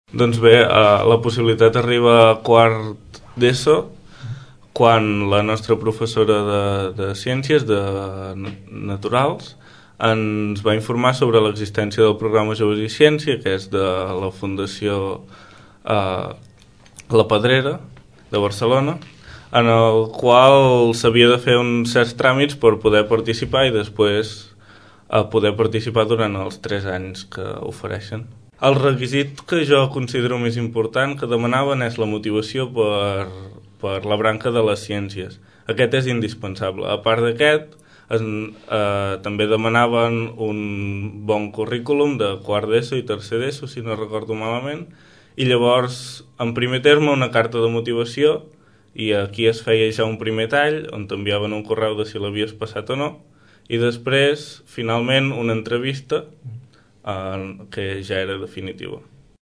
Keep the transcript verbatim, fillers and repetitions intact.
Doncs bé, uh, la possibilitat arriba a quart d'ESO quan la nostra professora de, de ciències de naturals ens va informar sobre l'existència del programa Joves i Ciència, que és de la Fundació uh, La Pedrera de Barcelona, en el qual s'havia de fer uns certs tràmits per poder participar i després uh, poder participar durant els tres anys que ofereixen. El requisit que jo considero més important que demanaven és la motivació per, per la branca de les ciències. Aquest és indispensable. A part d'aquest, es, eh, també demanaven un bon currículum de quart d'ESO i tercer d'ESO, si no recordo malament, i llavors, en primer terme, una carta de motivació, i aquí es feia ja un primer tall, on t'enviaven un correu de si l'havies passat o no, i després, finalment, una entrevista, que ja era definitiva.